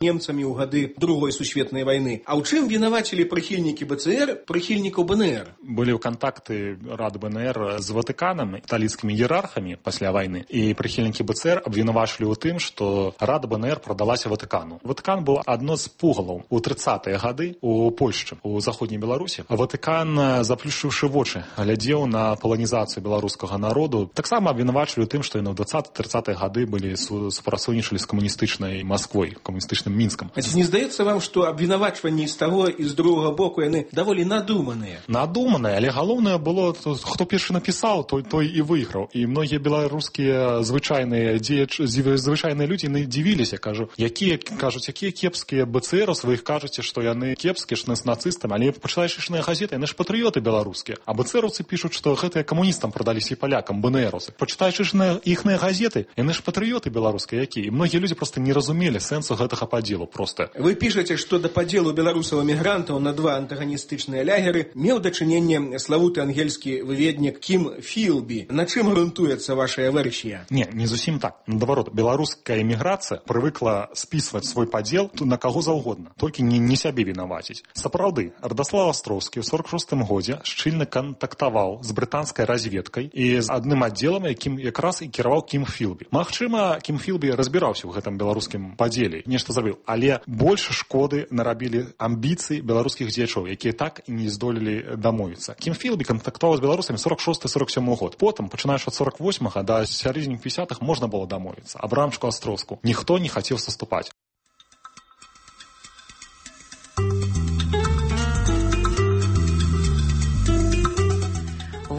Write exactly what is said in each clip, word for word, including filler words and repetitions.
немцамі ў гады другой сусветнай вайны. А ў чым вінавацілі прыхільнікі БЦР прыхільнікаў БНР? Былі кантакты Рады БНР з Ватыканам, каталіцкімі іерархамі пасля вайны, і прыхільнікі БЦР абвінавачылі ў тым, што Рада БНР прадалася Ватыкану. Ватыкан быў адно з пугалаў у трыццатыя гады у Польшчы, у заходняй Беларусі. Ватыкан, заплюшчыўшы вочы, глядзеў на паланізацыю беларускага народу. Таксама абвінавачылі ў тым, што яны ў дваццатыя-трыццатыя гады былі супрацоўнічалі з камуністычнай Масквой, камуністычным Мінскам. А ці не здаецца вам, што абвінавачванні з таго і з другога боку яны даволі надуманыя? Надуманыя, але галоўнае было, хто першы напісаў, той той і выйграў. І многія беларускія звычайныя дзеячы, звычайныя людзі не дзівіліся, кажу, якія кажуць, якія кепскія БЦРовцы, вы іх кажуце, што яны кепскія, што з нацыстамі, але пачытаеш ішныя газеты, яны ж патрыёты беларускія. А БЦРовцы пішуць, што гэтыя камуністам прадаліся і палякам, БНРовцы. Пачытаеш іхныя газеты, яны ж патрыёты беларускія якія. І многія людзі проста не разумелі сэнсу гэтага падзелу проста. Вы пішаце, што да падзелу беларусаў-эмігрантаў на два антаганістычныя лягеры меў дачыненне славуты ангельскі выведнік Кім Філбі. На чым грунтуецца вашая версія? Не, не зусім так. Наадварот, беларуская эміграцыя прывыкла спісваць свой падзел на каго заўгодна, толькі не, не сябе вінаваціць. Сапраўды, Радаслав Астроўскі ў сорок шостым годзе шчыльна кантактаваў з брытанскай разведкай і з адным аддзелам, якім якраз і кіраваў Кім Філбі. Магчыма, Кім Філбі разбіраўся ў гэтым беларускім падзеле, нешта зрабіў, але больш шкоды нарабілі амбіцыі беларускіх дзеячоў, якія так і не здолелі дамовіцца. Кім Філбі кантактаваў з беларусамі сорок шосты сорок сёмы год. Потым, пачынаючы ад сорок восьмага да сярэдзіны пятидесятых можна было дамовіцца. Абрамчыку Астроўску ніхто не хацеў саступаць.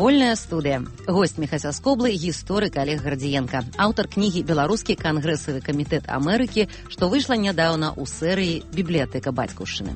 Вольная студыя. Госць Міхася Скоблы, гісторык Олег Гардзіенка, аўтар кнігі «Беларускі кангрэсавы камітэт Амерыкі», што выйшла нядаўна ў серыі «Бібліятэка бацькаўшчыны».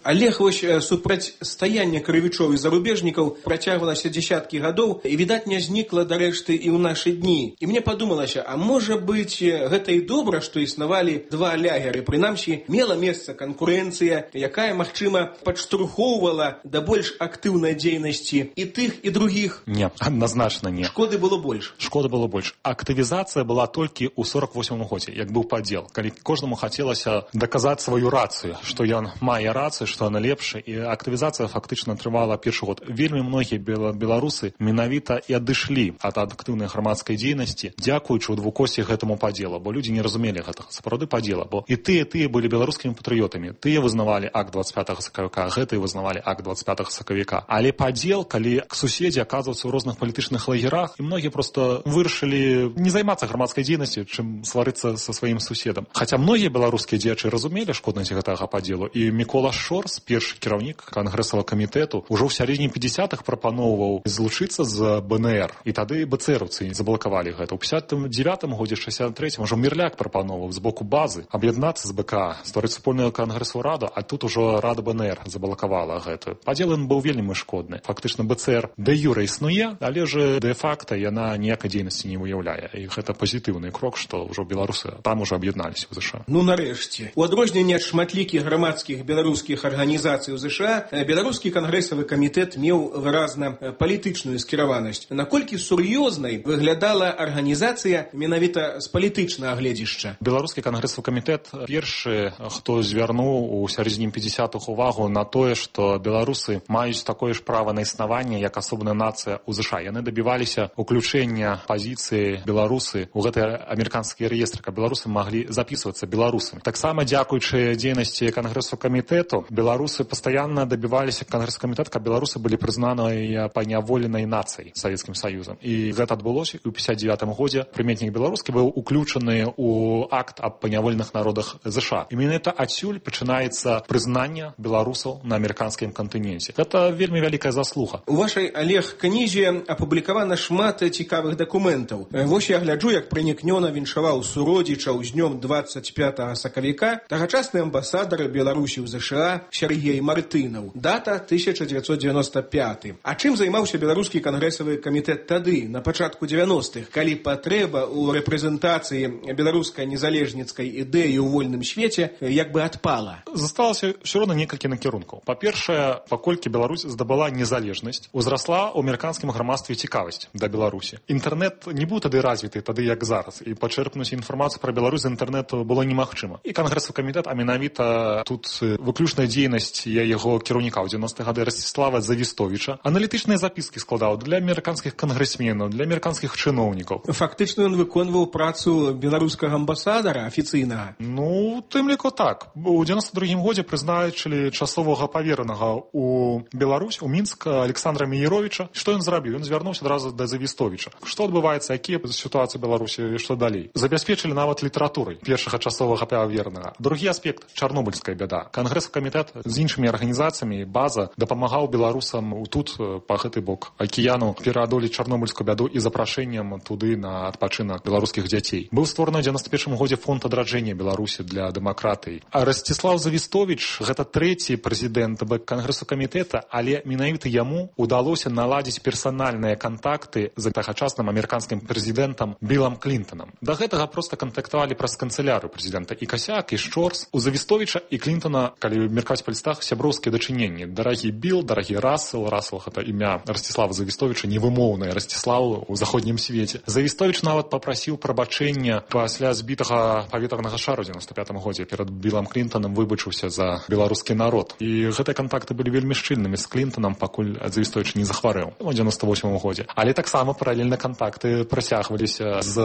Олег, вось супрацьстаянне крывічоў і зарубежнікаў працягвалася дзесяткі гадоў і, відаць, не знікла дарэшты і ў нашы дні. І мне падумалася, а можа быць, гэта і добра, што існавалі два лягеры. Прынамсі, мела месца канкурэнцыя, якая, магчыма, падштурхоўвала да больш актыўнай дзейнасці і тых, і другіх. Не, адназначна не. Шкоды было больш. Шкоды было больш. Актывізацыя была толькі ў сорок восьмым годзе, як быў падзел, калі кожнаму хацелася даказаць сваю рацыю, што ён мае рацыю, што она лепшая, і актывізацыя фактычна трывала першы год. Вельмі многія беларусы менавіта і адышлі ад актыўнай грамадскай дзейнасці, дзякуючы ў двукосці гэтаму падзелу, бо людзі не разумелі гэтага сапраўды падзела, бо і тыя тыя былі беларускімі патрыётамі, тыя вызнавалі акт двадцать пятага сакавіка, гэтыя вызнавалі акт двадцать пятага сакавіка. Але падзел, калі суседзі аказваюцца ў розных палітычных лагерах, і многія проста вырашылі не займацца грамадскай дзейнасцю, чым сварыцца са сваім суседам. Хаця многія беларускія дзеячы разумелі шкоднасць гэтага падзелу, і Мікола Шор, першы кіраўнік кангрэсавага камітэту, ужо ў сярэдзіне пятидесятых прапаноўваў злучыцца з БНР. І тады БЦРовцы заблакавалі гэта. У пятьдесят девятым годзе, шестьдесят третьем ужо Мірляк прапаноўваў з боку базы аб'яднацца з БКА, стварыць супольную кангрэсавую раду, а тут ужо Рада БНР заблакавала гэтую. Падзел ён быў вельмі шкодны. Фактычна БЦР дэ юрэ існуе, але ж дэ факта яна ніякай дзейнасці не выяўляе. І гэта пазітыўны крок, што ўжо беларусы там ужо аб'ядналіся ў ЗША. Ну нарэшце. У адрозненне ад шматлікіх грамадскіх беларускіх арганізацый у ЗША, беларускі кангрэсавы камітэт меў выразна палітычную скіраванасць. Наколькі сур'ёзнай выглядала арганізацыя менавіта з палітычнага гледзішча? Беларускі кангрэсавы камітэт першы, хто звярнуў у сярэдзіне пятидесятых увагу на тое, што беларусы маюць такое ж права на існаванне, як асобная нацыя ў ЗША. Яны дабіваліся уключэння пазіцыі беларусы ў гэты амерыканскі рэестр, каб беларусы маглі запісвацца беларусамі. Таксама дзякуючы дзейнасці кангрэсавага камітэту беларусы пастаянна дабіваліся кангрэсавы камітэт, каб беларусы былі прызнаныя паняволенай нацыяй Савецкім Саюзам. І гэта адбылося ў пятьдесят девятым годзе. Прыметнік беларускі быў уключаны ў акт аб паняволеных народах ЗША. І менавіта адсюль пачынаецца прызнанне беларусаў на амерыканскім кантыненце. Гэта вельмі вялікая заслуга. У вашай, Олег, кнізе апублікавана шмат цікавых дакументаў. Вось я гляджу, як пранікнёна віншаваў суродзічаў з днём двадцать пятага сакавіка тагачасны амбасадар Беларусі ў ЗША Сергей Мартынаў. Дата тысяча девятьсот девяносто пятый. А чым займаўся беларускі кангрэсавы камітэт тады, на пачатку девяностых, калі патрэба ў рэпрэзентацыі беларускай незалежніцкай ідэі ў вольным свеце як бы адпала? Засталася ўсё роўна некалькі накірункаў. Па-першае, паколькі Беларусь здабыла незалежнасць, узрасла ў амерыканскім грамадстве цікавасць да Беларусі. Інтэрнэт не быў тады развіты, тады як зараз, і пачэрпнуць інфармацыю пра Беларусь з інтэрнэту было немагчыма. І кангрэсавы камітэт, а менавіта тут выключная дзейнасць яго кіраўніка ў дзевяностыя гады Расціслава Завістовіча аналітычныя запіскі складаў для амерыканскіх кангрэсменаў, для амерыканскіх чыноўнікаў. Фактычна ён выконваў працу беларускага амбасадара афіцыйнага. Ну, тым ліку так. У девяносто другім годзе прызначылі часовага паверанага у Беларусь, у Мінск Александра Мееровіча. Што ён зрабіў? Ён звярнуўся адразу да Завістовіча. Што адбываецца, якія сітуацыі ў Беларусі і што далей? Забяспечылі нават літаратурай першага часовага паверанага. Другі аспект — чарнобыльская бяда. Кангрэсавы камітэт з іншымі арганізацыямі, база дапамагаў беларусам тут, па гэты бок акіяну, пераадолець чарнобыльскую бяду і запрашэннем туды на адпачынак беларускіх дзяцей. Быў створаны ў девяносто першым годзе фонд адраджэння Беларусі для дэмакратыі. А Расціслаў Завістовіч — гэта трэці прэзідэнт кангрэсавага камітэта, але менавіта яму удалося наладзіць персанальныя кантакты з тагачасным амерыканскім прэзідэнтам Білам Клінтанам. Да гэтага проста кантактавалі праз канцылярыю прэзідэнта і Касяк, і Шчорс. У Завістовіча і Клінтана, калі меркаць па лістах, сяброўскія дачыненні. Дарагі Біл, дарагі Рассел. Рассел — гэта імя Расціслава Завістовіча, невымоўнае Расціславу ў заходнім свеце. Завістовіч нават папрасіў прабачэння пасля збітага паветранага шару ў девяносто пятым годзе. Перад Білам Клінтанам выбачыўся за беларускі народ. І гэтыя кантакты былі вельмі шчыльнымі з Клінтанам, пакуль Завістовіч не захварэў у девяносто восьмым годзе. Але таксама паралельна кантакты працягваліся з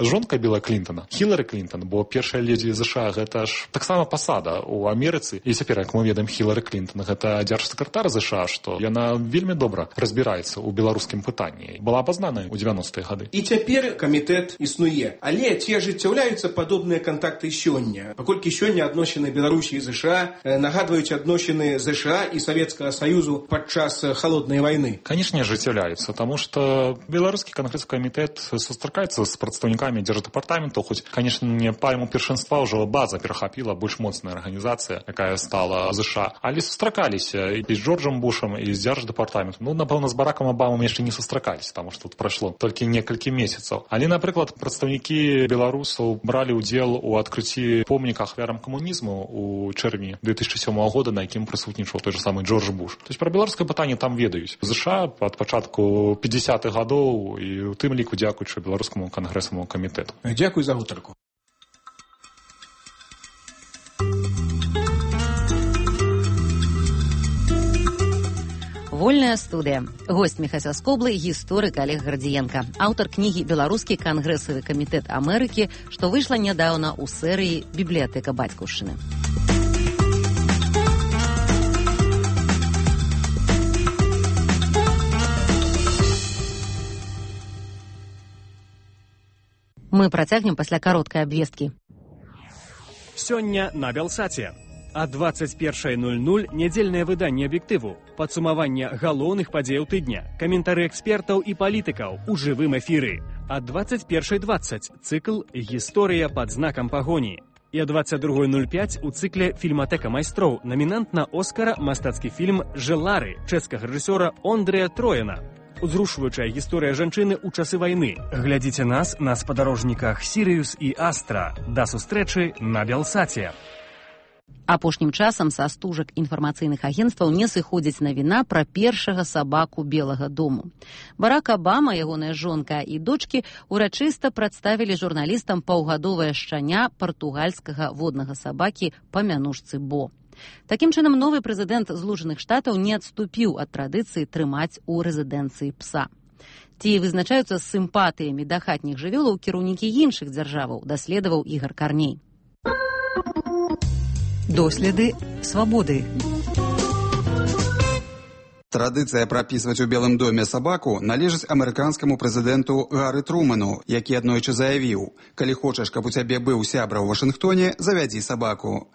жонкай Біла Клінтана, Хілары Клінтан, бо першая ледзі ЗША — гэта ж таксама пасада ў Амерыцы. І цяпер, як мы ведаем, Хілары Клінтан — гэта дзяржсакратар ЗША, што яна вельмі добра разбіраецца ў беларускім пытанні. Была абазнаная ў девяностыя гады. І цяпер камітэт існуе. Але ці ажыццяўляюцца падобныя кантакты сёння? Паколькі сёння адносіны Беларусі і ЗША нагадваюць адносіны ЗША і Савецкага Саюзу падчас халоднай вайны. Канечне, ажыццяўляюцца, таму што беларускі кангрэсавы камітэт сустракаецца з прадстаўнікамі дзярждэпартаменту, хоць, канечне, не пайму першынства ўжо база перахапіла, больш моцная арганізацыя, якая стала ЗША. Але сустракаліся і з Джорджам Бушам, і з дзярждэпартаментом. Ну, напэўна, з Баракам Абамам яшчэ не сустракаліся, таму што тут прайшло толькі некалькі месяцаў. Але, напрыклад, прадстаўнікі беларусаў бралі ўдзел у адкрыцці помніка ахвярам камунізму у чэрвені две тысячи сёмага года, на якім прысутнічаў той же самы Джордж Буш. То есть пра беларускае пытанне там ведаюць. ЗША ад пачатку пятидесятых гадоў, і у тым ліку дзякуючы беларускаму кангрэсаваму камітэту. Дзякуй за гутарку. Вольная студыя. Госць Міхася Скоблы, гісторык Олег Градзіенка, аўтар кнігі «Беларускі кангрэсавы камітэт Амерыкі», што выйшла нядаўна ў серыі «Бібліятэка бацькаўшчыны». Мы працягнем пасля кароткай абвесткі. Сёння на Белсаце. А двадцать первое ноль ноль нядзельнае выданне аб'ектыву, падсумаванне галоўных падзеяў тыдня, каментары экспертаў і палітыкаў у жывым эфіры. А двадцать первое двадцать цыкл «Гісторыя пад знакам пагоні». І а двадцать другое ноль пять у цыкле «Фільматэка майстроў» намінант на Оскара мастацкі фільм «Желары» чэшскага рэжысёра Ондрэя Трояна. Узрушваючая гісторыя жанчыны ў часы вайны. Глядзіце нас на спадарожніках «Сірыюс» і «Астра». Да сустрэчы на Белсаце. Апошнім часам са стужак інфармацыйных агенцтваў не сыходзіць навіна пра першага сабаку Белага дому. Барак Абама, ягоная жонка і дочкі урачыста прадставілі журналістам паўгадовае шчаня партугальскага воднага сабакі па мянушцы Бо. Такім чынам, новы прэзідэнт Злучаных Штатаў не адступіў ад традыцыі трымаць у рэзідэнцыі пса. Ці вызначаюцца сімпатыямі да хатніх жывёлаў кіраўнікі іншых дзяржаваў, даследаваў Ігар Карней. Доследы свабоды. Традыцыя прапісваць у Белым доме сабаку належыць амерыканскаму прэзідэнту Гары Труману, які аднойчы заявіў: «Калі хочаш, каб у цябе быў сябра ў Вашынгтоне, завядзі сабаку».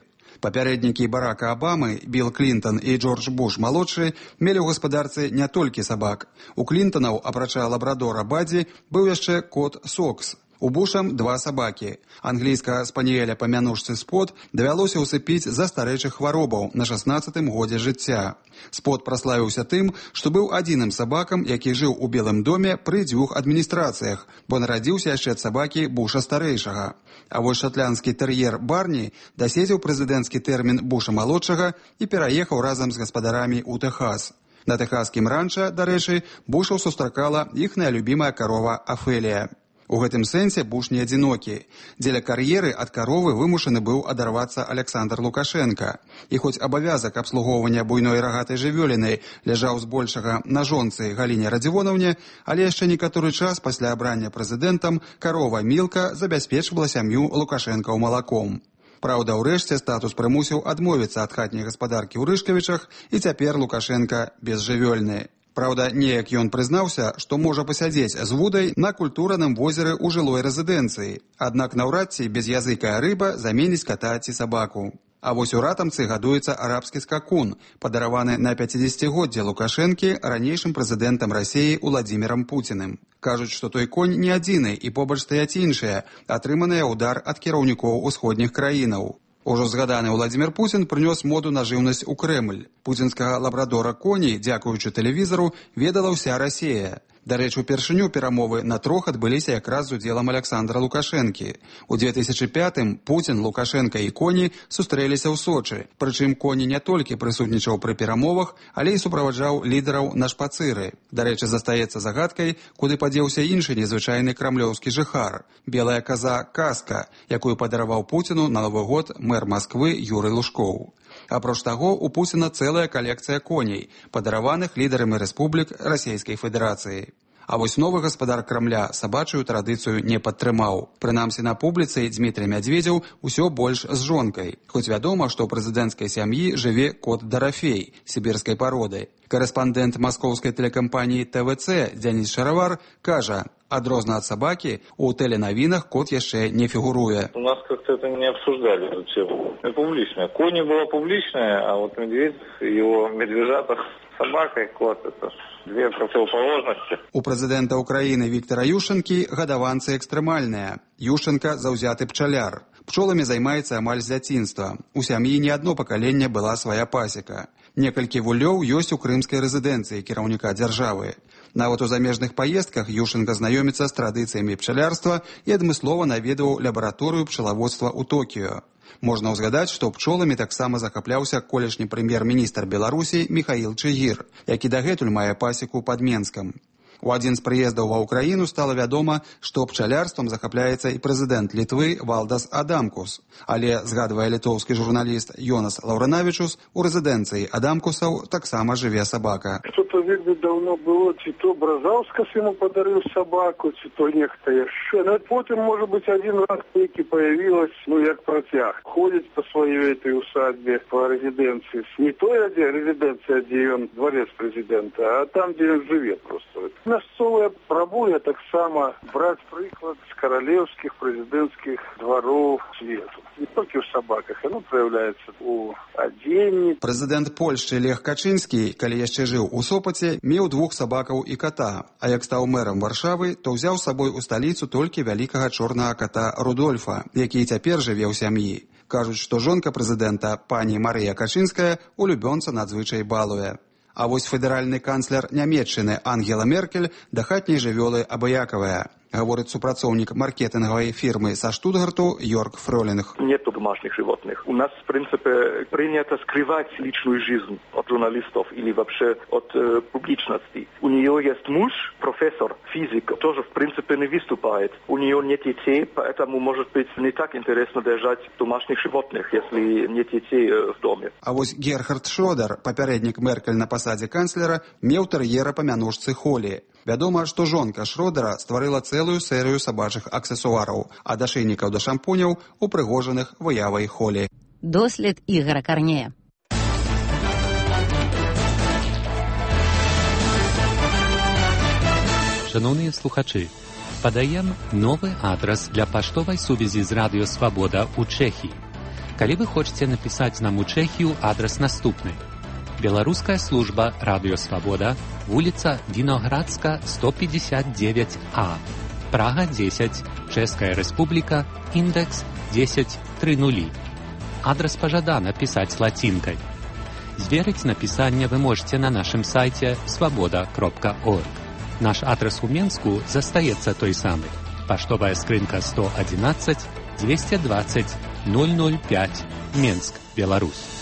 Папярэднікі Барака Абамы, Біл Клінтан і Джордж Буш-малодшы мелі ў гаспадарцы не толькі сабак. У Клінтанаў, апрача лабрадора Бадзі, быў яшчэ кот Сокс. У Бушам два сабакі. Англійскага спаніеля па мянушцы Спот давялося ўсыпіць за старэйшых хваробаў на шаснаццатым годзе жыцця. Спот праславіўся тым, што быў адзіным сабакам, які жыў у Белым доме пры дзвюх адміністрацыях, бо нарадзіўся яшчэ ад сабакі Буша старэйшага. А вось шатландскі тэр'ер Барні даседзеў прэзідэнцкі тэрмін Буша малодшага і пераехаў разам з гаспадарамі ў Тэхас. На тэхаскім ранча, дарэчы, Бушаў сустракала іхная любімая карова Афелія. У гэтым сэнсе Буш не адзінокі. Дзеля кар'еры ад каровы вымушаны быў адарвацца Аляксандр Лукашенка. І хоць абавязак абслугоўвання буйной рагатай жывёліны ляжаў збольшага на жонцы Галіне Радзівонаўне, але яшчэ некаторы час пасля абрання прэзідэнтам карова Мілка забяспечвала сям'ю Лукашэнкаў малаком. Праўда, ўрэшце статус прымусіў адмовіцца ад хатняй гаспадаркі ў Рышкавічах, і цяпер Лукашенка безжывёльны. Праўда, неяк ён прызнаўся, што можа пасядзець з вудай на культураным возеры ў жылой рэзідэнцыі. Аднак наўрад ці без'языкая рыба заменіць ката ці сабаку. А вось у ратамцы гадуецца арабскі скакун, падараваны на пяцідзесяцігоддзе Лукашэнкі ранейшым прэзідэнтам Расіі Уладзімірам Пуціным. Кажуць, што той конь не адзіны і побач стаяць іншыя, атрыманыя ўдар ад кіраўнікоў усходніх краінаў. Ужо згаданы Уладзімір Пуцін прынёс моду на жыўнасць у Крэмль. Пуцінскага лабрадора коней, дзякуючы тэлевізару, ведала ўся Расія. Дарэчы, упершыню перамовы на трох адбыліся якраз з удзелам Аляксандра Лукашэнкі. У две тысячы пятым Пуцін, Лукашенка і коні сустрэліся ў Сочы. Прычым коні не толькі прысутнічаў пры перамовах, але і суправаджаў лідараў на шпацыры. Дарэчы, застаецца загадкай, куды падзеўся іншы незвычайны крамлёўскі жыхар – белая каза Каска, якую падараваў Пуціну на Новы год мэр Масквы Юрый Лужкоў. Апроч таго, у Пуціна цэлая калекцыя коней, падараваных лідарамі рэспублік Расійскай Федэрацыі. А вось новы гаспадар Крамля сабачую традыцыю не падтрымаў. Прынамсі на публіцы Дзмітрый Мядзведзеў усё больш з жонкай. Хоць вядома, што ў прэзідэнцкай сям'і жыве кот Дарафей, сібірскай пароды. Карэспандэнт маскоўскай тэлекампаніі тэ вэ цэ Дзяніс Шаравар кажа, адрозна ад сабакі, у тэленавінах кот яшчэ не фігуруе. У нас как-то это не обсуждали, эту тему. Это публичное. Кони было публичное, а вот медведь, его медвежата, собака и кот – это две противоположности. У прэзідэнта Украіны Віктара Ющэнкі гадаванцы экстрэмальныя. Ющэнка – заўзяты пчаляр. Пчоламі займаецца амаль з дзяцінства. У сям'і не адно пакаленне была свая пасека. Некалькі вулёў ёсць у крымскай рэзідэнцыі кіраўніка дзяржавы. Нават у замежных паездках Ющэнка знаёміцца з традыцыямі пчалярства і адмыслова наведваў лабараторыю пчалаводства ў Токіё. Можна ўзгадаць, што пчоламі таксама захапляўся колішні прэм'ер-міністр Беларусі Міхаіл Чыгір, які дагэтуль мае пасеку пад Менскам. У адзін з прыездаў ва ўкраіну стала вядома, што пчалярствам захапляецца і прэзідэнт Літвы Валдас Адамкус. Але, згадвае літоўскі журналіст Йонас Лаўранавічус, у рэзідэнцыі Адамкусаў таксама жыве сабака. Что-то вельмі давно было, ці то Бразаўскас ему подарил собаку, ці то нехта яшчэ. Но потым, может быть, один раз таки появилась, ну, як протяг. Ходит по своей этой усадьбе, по резиденции. Не той резиденция, где он дворец президента, а там, где он живет просто. Мясцовая прабуе таксама браць прыклад з каралеўскіх прэзідэнцкіх двароў свету. Не толькі ў сабаках, яно праяўляецца ў адзенні. Прэзідэнт Польшчы Лех Качынскі, калі яшчэ жыў у Сопаце, меў двух сабакаў і ката, а як стаў мэрам Варшавы, то ўзяў з сабой у сталіцу толькі вялікага чорнага ката Рудольфа, які цяпер жыве ў сям'і. Кажуць, што жонка прэзідэнта, пані Марыя Качынская, улюбёнца надзвычай балуе. А вось федэральны канцлер Нямецчыны Ангела Меркель да хатняй жывёлы абыякавая. Говорит супрацоўнік маркетинговой фирмы со Штутгарту Йорк Фролинг. Нету домашних животных. У нас, в принципе, принято скрывать личную жизнь от журналистов или вообще от э, публичности. У нее есть муж, профессор, физик, тоже, в принципе, не выступает. У нее нет детей, поэтому, может быть, не так интересно держать домашних животных, если нет детей э, в доме. А вот Герхард Шрёдер, попередник Меркель на посаде канцлера, меў тэр'ера па мянушцы Холі. Вядома, што жонка Шрёдера стварыла цэлую серыю сабачых аксесуараў, ад ашэйнікаў да шампуняў, упрыгожаных выявай Холі. Дослед Ігора Карнея. Шановныя слухачы, падаем новы адрас для паштовай сувязі з Радыё Свабода ў Чэхіі. Калі вы хочаце напісаць нам у Чэхію, адрас наступны. Беларуская служба Радыё Свабода, вуліца Віноградска, сто пятьдесят девять А. Прага десять, Чэшская Республика, индекс десять тридцать. Адрес пожадана писать латинкой. Зверить написание вы можете на нашем сайте свобода кропка орг. Наш адрес у Менску застаецца той самый. Поштовая скрынка сто одиннадцать двести двадцать ноль ноль пять, Менск, Беларусь.